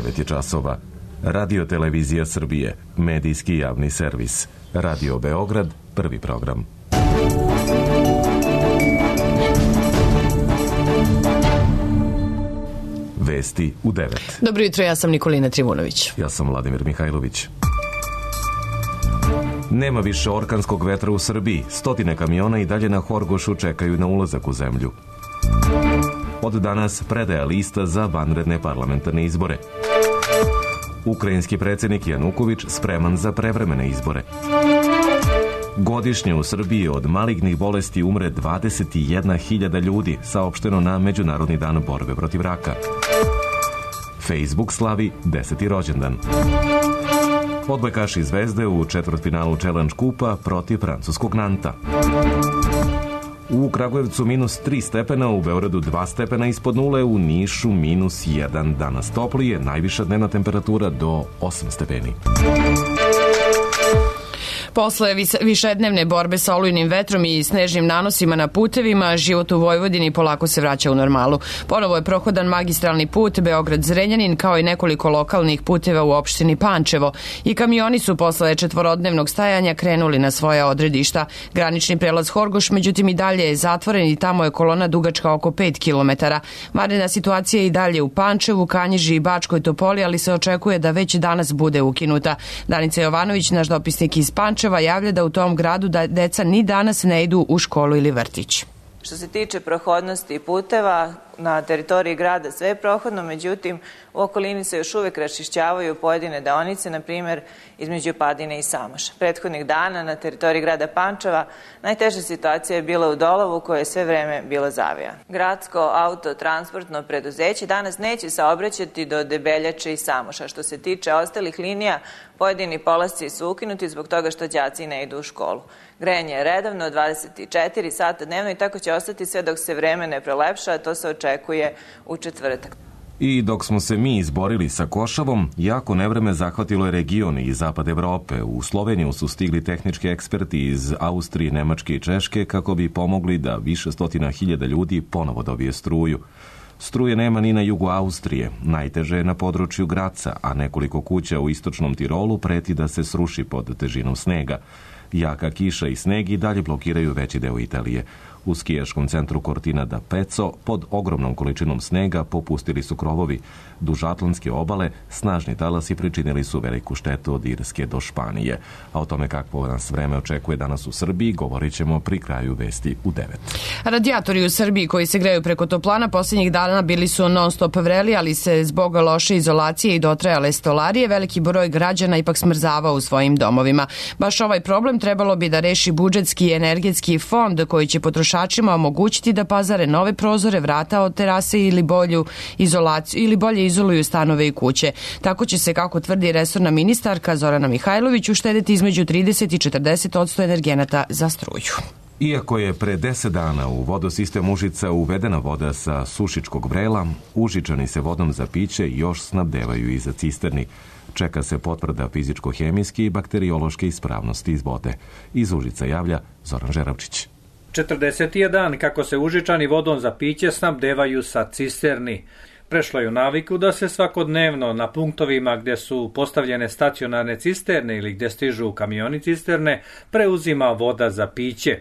9 je časova. Radio Televizija Srbije, medijski javni servis. Radio Beograd, prvi program. Vesti u 9. Dobro jutro, ja sam Nikolina Trivunović. Ja sam Vladimir Mihajlović. Nema više orkanskog vetra u Srbiji. Stotine kamiona i dalje na Horgošu čekaju na ulazak u zemlju. Od danas predaja lista za vanredne parlamentarne izbore. Ukrajinski predsjednik Januković spreman za prevremene izbore. Godišnje u Srbiji od malignih bolesti umre 21.000 ljudi, saopšteno na Međunarodni dan borbe protiv raka. Facebook slavi 10. rođendan. Odbojkaši Zvezde u četvrtfinalu Challenge kupa protiv francuskog Nanta. U Kragujevcu -3 stepena, u Beogradu 2 stepena ispod nule, u Nišu -1. Danas toplije, najviša dnevna temperatura do 8 stepeni. Posle višednevne borbe sa olujnim vetrom i snežnim nanosima na putevima, život u Vojvodini polako se vraća u normalu. Ponovo je prohodan magistralni put Beograd-Zrenjanin, kao i nekoliko lokalnih puteva u opštini Pančevo. I kamioni su posle četvorodnevnog stajanja krenuli na svoja odredišta. Granični prelaz Horgoš, međutim, i dalje je zatvoren i tamo je kolona dugačka oko 5 km. Vanredna situacija je i dalje u Pančevu, Kanjiži i Bačkoj Topoli, ali se očekuje da već danas bude ukinuta. Danica Jovanović, naš dopisnik iz Pančeva, javlja da u tom gradu da deca ni danas ne idu u školu ili vrtić. Što se tiče prohodnosti puteva, na teritoriji grada sve je prohodno, međutim u okolini se još uvek raščišćavaju pojedine deonice, na primjer između Padine i Samoša. Prethodnih dana na teritoriji grada Pančeva najteža situacija je bila u Dolovu, koja je sve vreme bila zavijana. Gradsko autotransportno preduzeće danas neće saobraćati do Debeljače i Samoša. Što se tiče ostalih linija, pojedini polasci su ukinuti zbog toga što đaci ne idu u školu. Grejanje je redovno 24 sata dnevno i tako će ostati sve dok se vreme ne prolepša, a to se očekuje u četvrtak. I dok smo se mi izborili sa košavom, jako nevreme zahvatilo je region i zapad Evrope. U Sloveniju su stigli tehnički eksperti iz Austrije, Nemačke i Češke kako bi pomogli da više stotina hiljada ljudi ponovo dobije struju. Struje nema ni na jugu Austrije, najteže je na području Graca, a nekoliko kuća u istočnom Tirolu preti da se sruši pod težinom snega. Jaka kiša i sneg i dalje blokiraju veći deo Italije. U skijaškom centru Cortina d'Ampezzo pod ogromnom količinom snega popustili su krovovi. Duž Atlantske obale snažni talasi pričinili su veliku štetu od Irske do Španije. A o tome kakvo nas vreme očekuje danas u Srbiji govorit ćemo pri kraju vesti u 9. Radijatori u Srbiji koji se greju preko toplana posljednjih dana bili su non stop vreli, ali se zbog loše izolacije i dotrajale stolarije veliki broj građana ipak smrzavao u svojim domovima. Baš ovaj problem trebalo bi da reši budžetski i energetski fond koji će potrošačima omogućiti da pazare nove prozore, vrata od terase ili bolje izoluju stanove i kuće. Tako će se, kako tvrdi resorna ministarka Zorana Mihajlović, uštedeti između 30 i 40% energenata za struju. Iako je pre 10 dana u vodosistem Užica uvedena voda sa Sušičkog vrela, Užičani se vodom za piće još snabdevaju iza cisterni. Čeka se potvrda fizičko-hemijske i bakteriološke ispravnosti iz vode. Iz Užica javlja Zoran Žeravčić. 40. je dan kako se Užičani vodom za piće snabdevaju sa cisterni. Prešlo je u naviku da se svakodnevno na punktovima gdje su postavljene stacionarne cisterne ili gdje stižu kamioni cisterne preuzima voda za piće.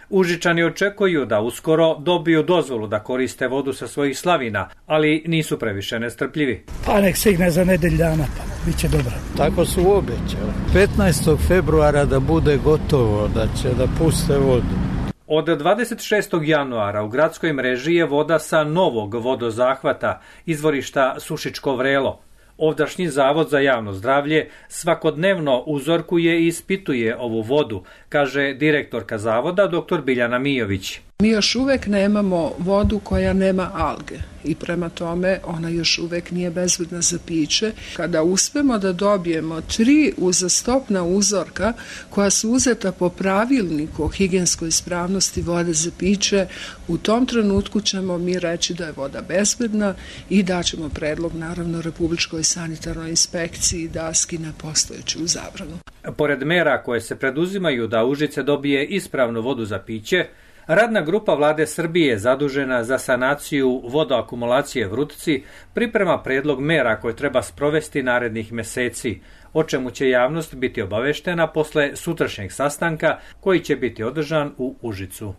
Užičani očekuju da uskoro dobiju dozvolu da koriste vodu sa svojih slavina, ali nisu previše nestrpljivi. Pa nek stigne za nedelj dana, pa bit će dobro. Tako su obećali. 15. februara da bude gotovo, da će da puste vodu. Od 26. januara u gradskoj mreži je voda sa novog vodozahvata, izvorišta Sušičko vrelo. Ovdašnji Zavod za javno zdravlje svakodnevno uzorkuje i ispituje ovu vodu, kaže direktorka zavoda dr. Biljana Mijović. Mi još uvek nemamo vodu koja nema alge i prema tome ona još uvek nije bezbedna za piće. Kada uspemo da dobijemo 3 uzastopna uzorka koja su uzeta po pravilniku o higijenskoj ispravnosti vode za piće, u tom trenutku ćemo mi reći da je voda bezbedna i daćemo predlog naravno Republičkoj sanitarnoj inspekciji da skine postojeću zabranu. Pored mera koje se preduzimaju da Užice dobije ispravnu vodu za piće, Radna grupa vlade Srbije zadužena za sanaciju vodoakumulacije Vrutci priprema predlog mera koje treba sprovesti narednih meseci, o čemu će javnost biti obaveštena posle sutrašnjeg sastanka koji će biti održan u Užicu.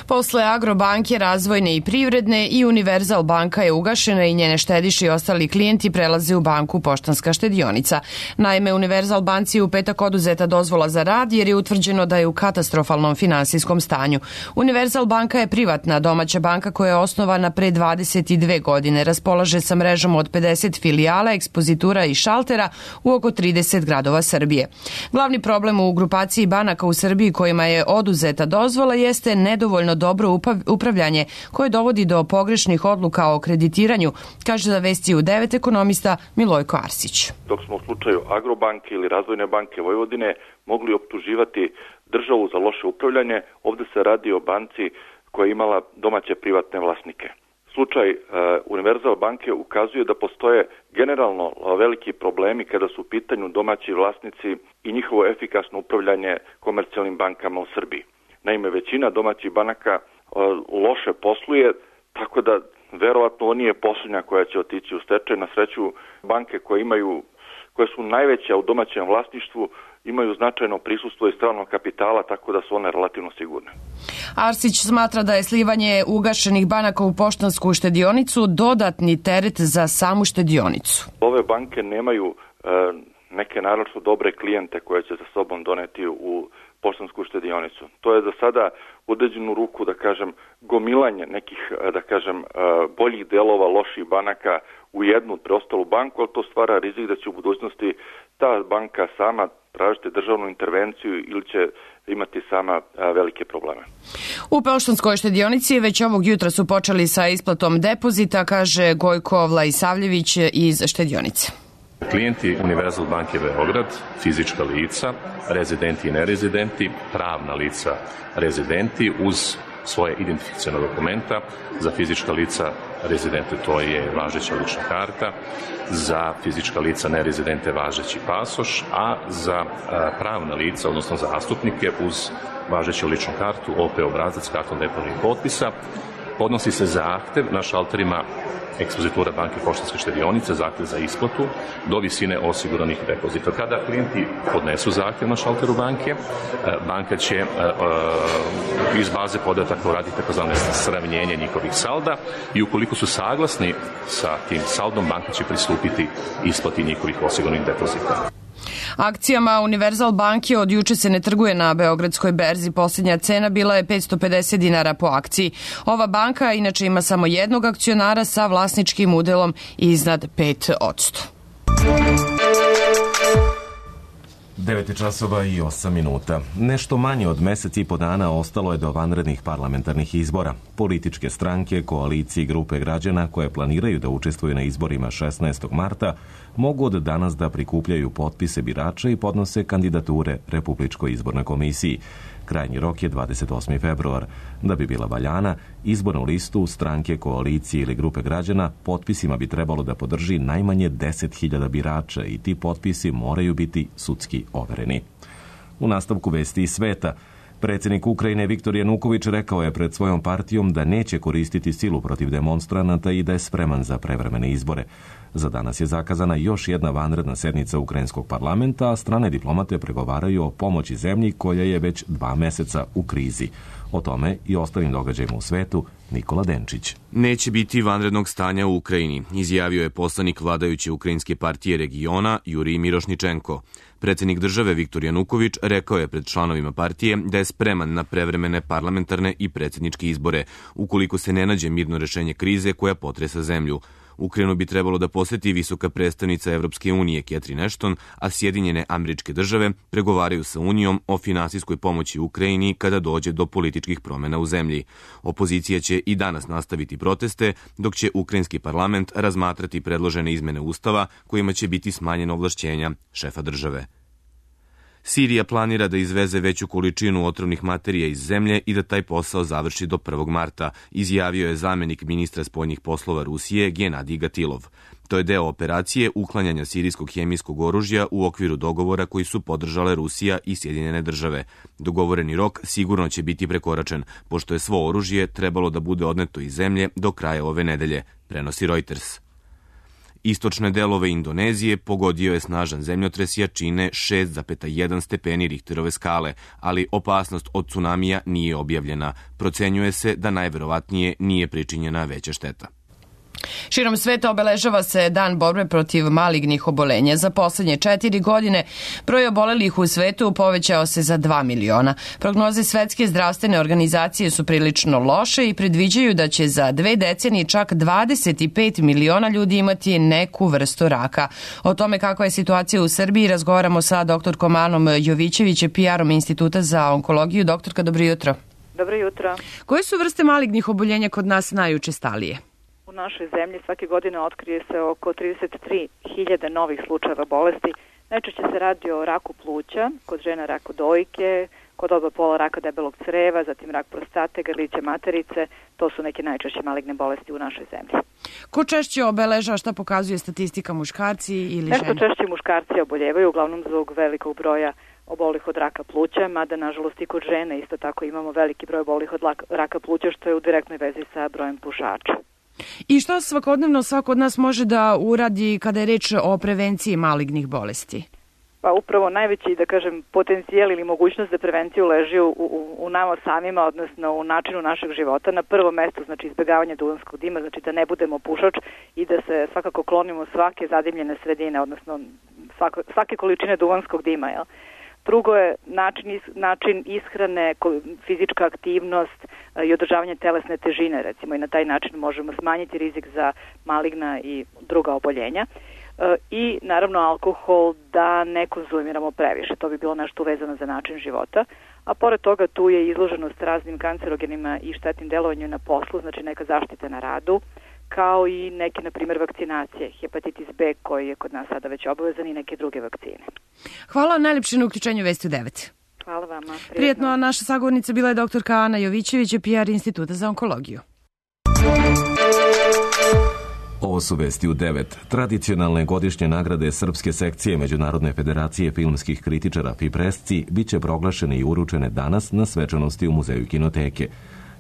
Posle Agrobanke, Razvojne i Privredne i Univerzal banka je ugašena i njene štediše i ostali klijenti prelaze u banku Poštanska štedionica. Naime, Univerzal banci je u petak oduzeta dozvola za rad jer je utvrđeno da je u katastrofalnom finansijskom stanju. Univerzal banka je privatna domaća banka koja je osnovana pre 22 godine. Raspolaže sa mrežom od 50 filijala, ekspozitura i šaltera u oko 30 gradova Srbije. Glavni problem u grupaciji banaka u Srbiji kojima je oduzeta dozvola jeste nedovoljno dobro upravljanje koje dovodi do pogrešnih odluka o kreditiranju, kaže za Vesti u 9 ekonomista Milojko Arsić. Dok smo u slučaju Agrobanke ili Razvojne banke Vojvodine mogli optuživati državu za loše upravljanje, ovde se radi o banci koja je imala domaće privatne vlasnike. Slučaj Univerzal banke ukazuje da postoje generalno veliki problemi kada su u pitanju domaći vlasnici i njihovo efikasno upravljanje komercijalnim bankama u Srbiji. Naime, većina domaćih banaka loše posluje, tako da verovatno ovo nije posljednja koja će otići u stečaj. Na sreću, banke koje su najveće u domaćem vlasništvu imaju značajno prisustvo i stranog kapitala, tako da su one relativno sigurne. Arsić smatra da je slivanje ugašenih banaka u Poštansku štedionicu dodatni teret za samu štedionicu. Ove banke nemaju neke naročito dobre klijente koje će sa sobom doneti u Poštansku štedionicu. To je za sada u određenu ruku, da kažem, gomilanje nekih, da kažem, boljih delova loših banaka u jednu preostalu banku, ali to stvara rizik da će u budućnosti ta banka sama tražiti državnu intervenciju ili će imati sama velike probleme. U Poštanskoj štedionici već ovog jutra su počeli sa isplatom depozita, kaže Gojko Vlajsavljević iz štedionice. Klijenti Univerzal banke Beograd, fizička lica, rezidenti i nerezidenti, pravna lica rezidenti uz svoje identifikacione dokumenta, za fizička lica rezidente to je važeća lična karta, za fizička lica nerezidente važeći pasoš, a za pravna lica, odnosno zastupnike uz važeću ličnu kartu, OP obrazac, karton deponijih potpisa, podnosi se zahtev na šalterima ekspozitura banke Poštanske štedionice, zahtev za isplatu do visine osiguranih depozita. Kada klijenti podnesu zahtev na šalteru banke, banka će iz baze podataka uraditi takozvane sravnjenje njihovih salda i ukoliko su saglasni sa tim saldom, banka će pristupiti isplati njihovih osiguranih depozita. Akcijama Univerzal banke od juče se ne trguje na Beogradskoj berzi. Posljednja cena bila je 550 dinara po akciji. Ova banka inače ima samo jednog akcionara sa vlasničkim udelom iznad 5%. 9 časova i 8 minuta. Nešto manje od mesec i po dana ostalo je do vanrednih parlamentarnih izbora. Političke stranke, koalicije i grupe građana koje planiraju da učestvuju na izborima 16. marta mogu od danas da prikupljaju potpise birača i podnose kandidature Republičkoj izbornoj komisiji. Krajnji rok je 28. februar. Da bi bila valjana, izbornu listu stranke, koalicije ili grupe građana potpisima bi trebalo da podrži najmanje 10.000 birača i ti potpisi moraju biti sudski overeni. U nastavku Vesti iz sveta, predsjednik Ukrajine Viktor Januković rekao je pred svojom partijom da neće koristiti silu protiv demonstranata i da je spreman za prevremene izbore. Za danas je zakazana još jedna vanredna sednica Ukrajinskog parlamenta, a strane diplomate pregovaraju o pomoći zemlji koja je već 2 meseca u krizi. O tome i ostalim događajima u svetu Nikola Denčić. Neće biti vanrednog stanja u Ukrajini, izjavio je poslanik vladajuće Ukrajinske partije regiona Jurij Mirošničenko. Predsjednik države Viktor Januković rekao je pred članovima partije da je spreman na prevremene parlamentarne i predsjedničke izbore, ukoliko se ne nađe mirno rešenje krize koja potresa zemlju. Ukrajinu bi trebalo da poseti visoka predstavnica Evropske unije Catherine Ashton, a Sjedinjene Američke Države pregovaraju sa Unijom o finansijskoj pomoći Ukrajini kada dođe do političkih promjena u zemlji. Opozicija će i danas nastaviti proteste, dok će Ukrajinski parlament razmatrati predložene izmene Ustava kojima će biti smanjena ovlašćenja šefa države. Sirija planira da izveze veću količinu otrovnih materija iz zemlje i da taj posao završi do 1. marta, izjavio je zamenik ministra spoljnih poslova Rusije Genadij Gatilov. To je deo operacije uklanjanja sirijskog hemijskog oružja u okviru dogovora koji su podržale Rusija i Sjedinjene države. Dogovoreni rok sigurno će biti prekoračen, pošto je svo oružje trebalo da bude odneto iz zemlje do kraja ove nedelje, prenosi Reuters. Istočne delove Indonezije pogodio je snažan zemljotres jačine 6,1 stepeni Richterove skale, ali opasnost od tsunamija nije objavljena. Procenjuje se da najverovatnije nije pričinjena veća šteta. Širom sveta obeležava se Dan borbe protiv malignih obolenja. Za poslednje 4 godine broj obolelih u svetu povećao se za 2 miliona. Prognoze Svetske zdravstvene organizacije su prilično loše i predviđaju da će za 2 decenije čak 25 miliona ljudi imati neku vrstu raka. O tome kakva je situacija u Srbiji razgovaramo sa doktorkom Anom Jovićević, PR-om Instituta za onkologiju. Doktorka, dobro jutro. Dobro jutro. Koje su vrste malignih oboljenja kod nas najučestalije? U našoj zemlji svake godine otkrije se oko 33.000 novih slučajeva bolesti. Najčešće se radi o raku pluća, kod žena raku dojke, kod oba pola raka debelog creva, zatim rak prostate, grlića materice. To su neke najčešće maligne bolesti u našoj zemlji. Ko češće obeležava, šta pokazuje statistika, muškarci ili žene? Nešto češće muškarci oboljevaju, uglavnom zbog velikog broja obolih od raka pluća, mada nažalost i kod žene isto tako imamo veliki broj obolih od raka pluća, što je u direktnoj vezi sa brojem pušača. I šta svakodnevno svako od nas može da uradi kada je reč o prevenciji malignih bolesti? Pa upravo najveći, da kažem, potencijal ili mogućnost za prevenciju leži u nama samima, odnosno u načinu našeg života. Na prvom mestu, znači izbjegavanje duvanskog dima, znači da ne budemo pušač i da se svakako klonimo svake zadimljene sredine, odnosno svake količine duvanskog dima, jel? Drugo je način ishrane, fizička aktivnost i održavanje telesne težine, recimo, i na taj način možemo smanjiti rizik za maligna i druga oboljenja. I naravno alkohol da ne konzumiramo previše, to bi bilo nešto vezano za način života. A pored toga tu je izloženost raznim kancerogenima i štetnim delovanju na poslu, znači neka zaštita na radu, kao i neke, na primjer, vakcinacije, hepatitis B koji je kod nas sada već obavezan i neke druge vakcine. Hvala najlepše na uključenju Vesti u 9. Hvala vama. Prijetno, naša sagovornica bila je doktorka Ana Jovićević, PR Instituta za onkologiju. Ovo su Vesti u 9. Tradicionalne godišnje nagrade Srpske sekcije Međunarodne federacije filmskih kritičara FIPRESCI biće proglašene i uručene danas na svečanosti u Muzeju kinoteke.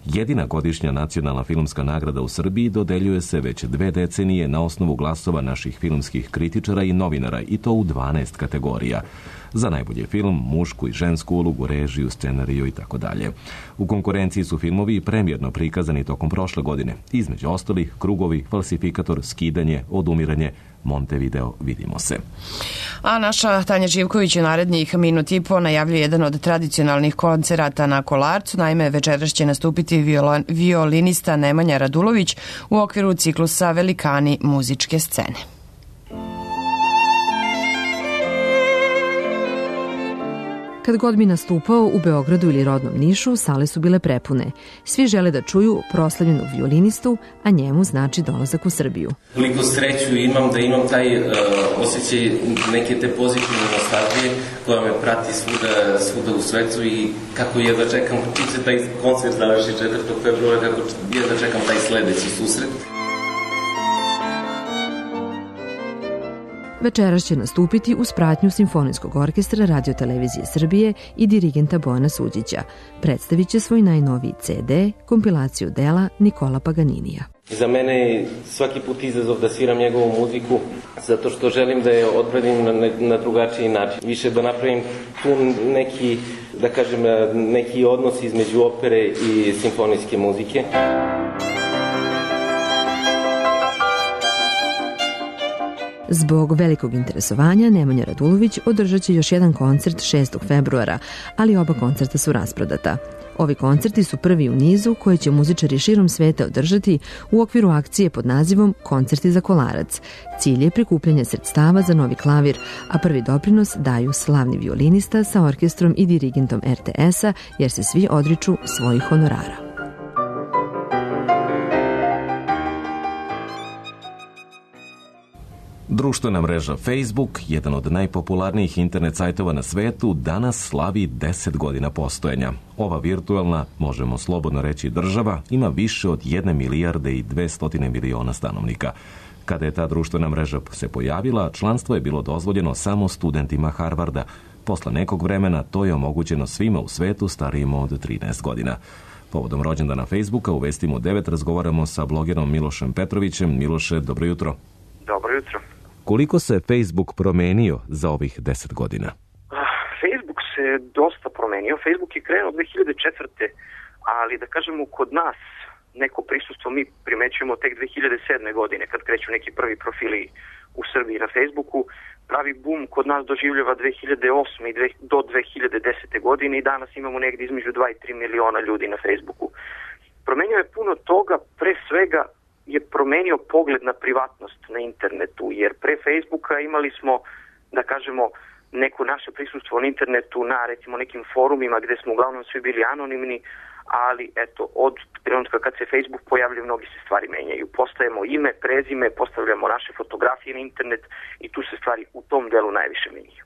Jedina godišnja nacionalna filmska nagrada u Srbiji dodeljuje se već 2 decenije na osnovu glasova naših filmskih kritičara i novinara, i to u 12 kategorija. Za najbolji film, mušku i žensku ulogu, režiju, scenariju i tako dalje. U konkurenciji su filmovi premijerno prikazani tokom prošle godine. Između ostalih, Krugovi, Falsifikator, Skidanje, Odumiranje, Montevideo, Vidimo se. A naša Tanja Živković u narednih minut i po najavljuje jedan od tradicionalnih koncerata na Kolarcu. Naime, večeras će nastupiti violinista Nemanja Radulović u okviru ciklusa Velikani muzičke scene. Kad god bi nastupao u Beogradu ili rodnom Nišu, sale su bile prepune. Svi žele da čuju proslavljenog violinistu, a njemu znači dolazak u Srbiju. Koliko sreću imam da imam taj osjećaj neke te pozitivne nostalgije koja me prati svuda u svetu i kako jedva čekam čim se taj koncert završi 4. februara, kako jedva čekam taj sledeći susret. Večeras će nastupiti uz pratnju Simfonijskog orkestra Radio-televizije Srbije i dirigenta Bojana Suđića. Predstavit će svoj najnoviji CD, kompilaciju dela Nikola Paganinija. Za mene je svaki put izazov da sviram njegovu muziku, zato što želim da je odbranim na drugačiji način. Više da napravim tu neki odnos između opere i simfonijske muzike. Zbog velikog interesovanja Nemanja Radulović održat će još jedan koncert 6. februara, ali oba koncerta su rasprodata. Ovi koncerti su prvi u nizu koje će muzičari širom sveta održati u okviru akcije pod nazivom Koncerti za Kolarac. Cilj je prikupljanje sredstava za novi klavir, a prvi doprinos daju slavni violinista sa orkestrom i dirigentom RTS-a, jer se svi odriču svojih honorara. Društvena mreža Facebook, jedan od najpopularnijih internet sajtova na svetu, danas slavi 10 godina postojanja. Ova virtualna, možemo slobodno reći država, ima više od 1 milijarde i 200 miliona stanovnika. Kada je ta društvena mreža se pojavila, članstvo je bilo dozvoljeno samo studentima Harvarda. Posle nekog vremena to je omogućeno svima u svetu starijim od 13 godina. Povodom rođendana Facebooka u Vestima u 9 razgovaramo sa blogerom Milošem Petrovićem. Miloše, dobro jutro. Dobro jutro. Koliko se Facebook promenio za ovih 10 godina? Facebook se dosta promenio. Facebook je krenuo 2004. ali da kažemo kod nas neko prisustvo mi primećujemo tek 2007. godine kad kreću neki prvi profili u Srbiji na Facebooku. Pravi boom kod nas doživljava 2008. do 2010. godine i danas imamo negdje između 2 i 3 miliona ljudi na Facebooku. Promenio je puno toga, pre svega je promenio pogled na privatnost na internetu, jer pre Facebooka imali smo, da kažemo, neko naše prisustvo na internetu na recimo nekim forumima gdje smo uglavnom svi bili anonimni, ali eto, od trenutka kad se Facebook pojavlja mnogi se stvari menjaju. Postajemo ime, prezime, postavljamo naše fotografije na internet i tu se stvari u tom delu najviše menjaju.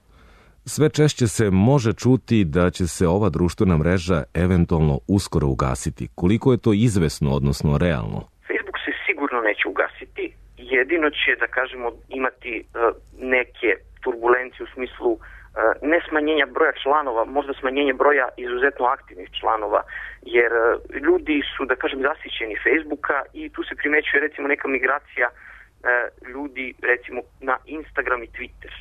Sve češće se može čuti da će se ova društvena mreža eventualno uskoro ugasiti. Koliko je to izvesno, odnosno realno? Facebook se sigurno neće ugasiti, jedino će, da kažemo, imati neke turbulencije u smislu ne smanjenja broja članova, možda smanjenje broja izuzetno aktivnih članova, jer ljudi su, da kažem, zasićeni Facebooka i tu se primećuje recimo neka migracija ljudi recimo na Instagram i Twitter.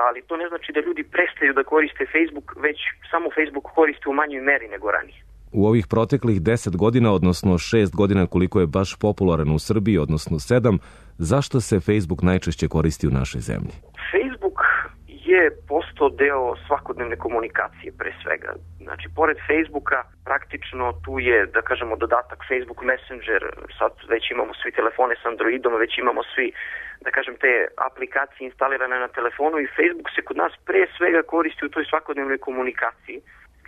Ali to ne znači da ljudi prestaju da koriste Facebook, već samo Facebook koriste u manjoj meri nego ranije. U ovih proteklih 10 godina, odnosno 6 godina koliko je baš popularan u Srbiji, odnosno 7, zašto se Facebook najčešće koristi u našoj zemlji? Facebook je postao deo svakodnevne komunikacije pre svega. Znači, pored Facebooka, praktično tu je, da kažemo, dodatak Facebook Messenger, sad već imamo svi telefone s Androidom, već imamo svi, da kažem, te aplikacije instalirane na telefonu i Facebook se kod nas pre svega koristi u toj svakodnevnoj komunikaciji.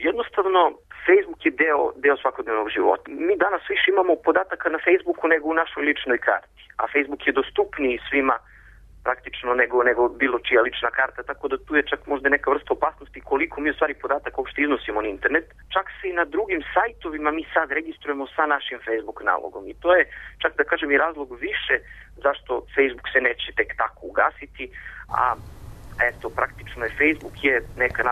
Jednostavno, Facebook je deo svakodnevnog života. Mi danas više imamo podataka na Facebooku nego u našoj ličnoj karti, a Facebook je dostupniji svima praktično nego bilo čija lična karta, tako da tu je čak možda neka vrsta opasnosti koliko mi u stvari podataka uopšte iznosimo na internet. Čak se i na drugim sajtovima mi sad registrujemo sa našim Facebook nalogom i to je čak, da kažem, i razlog više zašto Facebook se neće tek tako ugasiti, a eto, praktično je Facebook je neka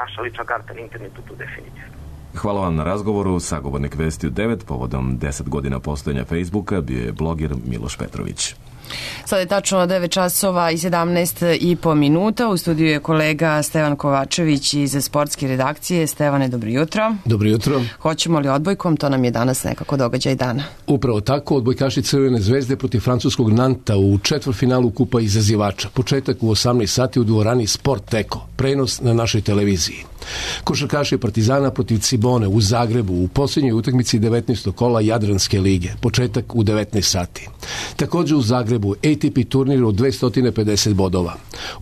naša lična karta na internetu tu definitivno. Hvala vam na razgovoru. Sagovornik Vesti u 9 povodom 10 godina postojanja Facebooka bio je bloger Miloš Petrović. Sada je tačno 9 časova i 17,5 minuta. U studiju je kolega Stevan Kovačević iz sportske redakcije. Stevane, dobro jutro. Dobro jutro. Hoćemo li odbojkom? To nam je danas nekako događaj dana. Upravo tako, odbojkaši Crvene zvezde protiv francuskog Nanta u četvrtfinalu Kupa izazivača. Početak u 18 sati u dvorani Sport Eko. Prenos na našoj televiziji. Košarkaši Partizana protiv Cibone u Zagrebu u posljednjoj utakmici 19. kola Jadranske lige. Početak u 19 sati. Također u Zagrebu ATP turnir od 250 bodova.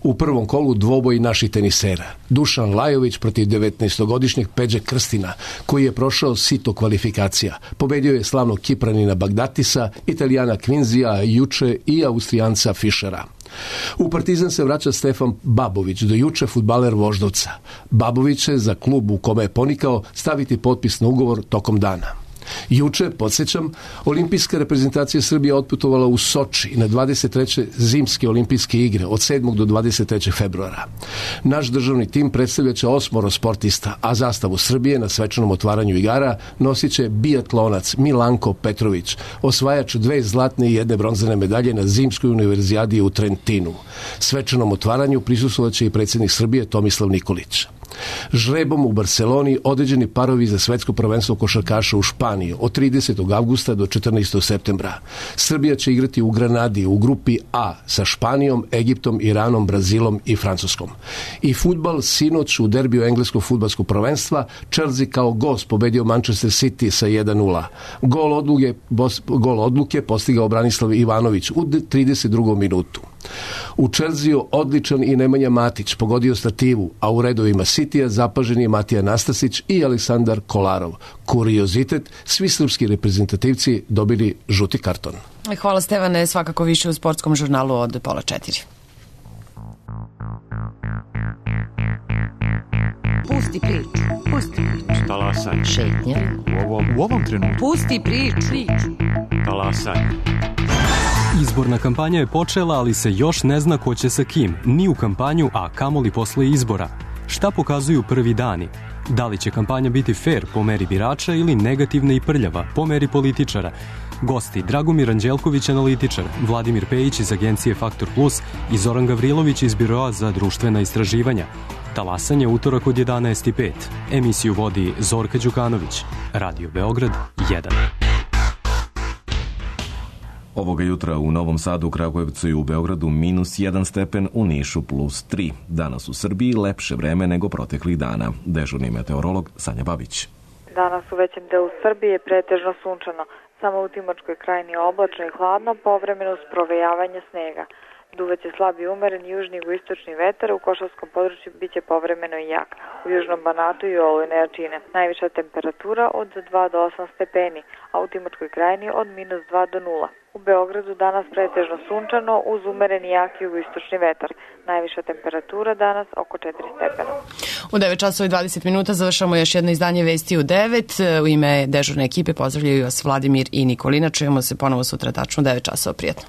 U prvom kolu dvoboj naših tenisera. Dušan Lajović protiv 19-godišnjeg Peđe Krstina, koji je prošao sito kvalifikacija. Pobedio je slavnog Kipranina Bagdatisa, Italijana Kvinzija juče i Austrijanca Fischera. U Partizan se vraća Stefan Babović, do juče fudbaler Voždovca. Babović će za klub u kome je ponikao staviti potpis na ugovor tokom dana. Juče, podsjećam, olimpijska reprezentacija Srbije otputovala u Soči na 23. zimske olimpijske igre od 7. do 23. februara. Naš državni tim predstavljaće 8 sportista, a zastavu Srbije na svečanom otvaranju igara nosit će biatlonac Milanko Petrović, osvajač 2 zlatne i 1 bronzane medalje na zimskoj univerzijadi u Trentinu. Svečanom otvaranju prisustvovaće i predsjednik Srbije Tomislav Nikolić. Žrebom u Barceloni određeni parovi za svetsko prvenstvo košarkaša u Španiji od 30. avgusta do 14. septembra. Srbija će igrati u Granadi u grupi A sa Španijom, Egiptom, Iranom, Brazilom i Francuskom. I fudbal sinoć u derbiju engleskog fudbalskog prvenstva Chelsea kao gost pobedio Manchester City sa 1:0. Gol odluke postigao Branislav Ivanović u 32. minutu. U Čelziju odličan i Nemanja Matić, pogodio stativu, a u redovima Citya zapažen je Matija Nastasić i Aleksandar Kolarov. Kuriozitet, svi srpski reprezentativci dobili žuti karton. Hvala Stevane, svakako više u sportskom žurnalu od 3:30. Pusti priču. Pusti priču. Talasaj. Šetnja. U ovom trenutku. Pusti priču. Talasaj. Izborna kampanja je počela, ali se još ne zna ko će sa kim, ni u kampanju, a kamoli posle izbora. Šta pokazuju prvi dani? Da li će kampanja biti fair po meri birača ili negativna i prljava po meri političara? Gosti Dragomir Anđelković, analitičar, Vladimir Pejić iz agencije Faktor Plus i Zoran Gavrilović iz Biroa za društvena istraživanja. Talasanje utorak od 11:05. Emisiju vodi Zorka Đukanović. Radio Beograd 1. Ovoga jutra u Novom Sadu, Kragujevcu i u Beogradu -1 stepen, u Nišu +3. Danas u Srbiji lepše vreme nego proteklih dana. Dežurni meteorolog Sanja Babić. Danas u većem delu Srbije pretežno sunčano. Samo u Timočkoj krajini oblačno i hladno, povremeno uz provejavanje snega. Duvaće slab i umeren južni i jugoistočni vetar, u Košavskom području biće povremeno i jak. U južnom Banatu i olujne jačine. Najviša temperatura od 2 do 8 stepeni, a u Timočkoj krajini od -2 do 0. U Beogradu danas pretežno sunčano uz umeren i jak jugoistočni vetar. Najviša temperatura danas oko 4 stepena. U 9:20 završamo još jedno izdanje Vesti u 9. U ime dežurne ekipe pozdravljaju vas Vladimir i Nikolina. Čujemo se ponovo sutra tačno u 9 časova. Prijetno.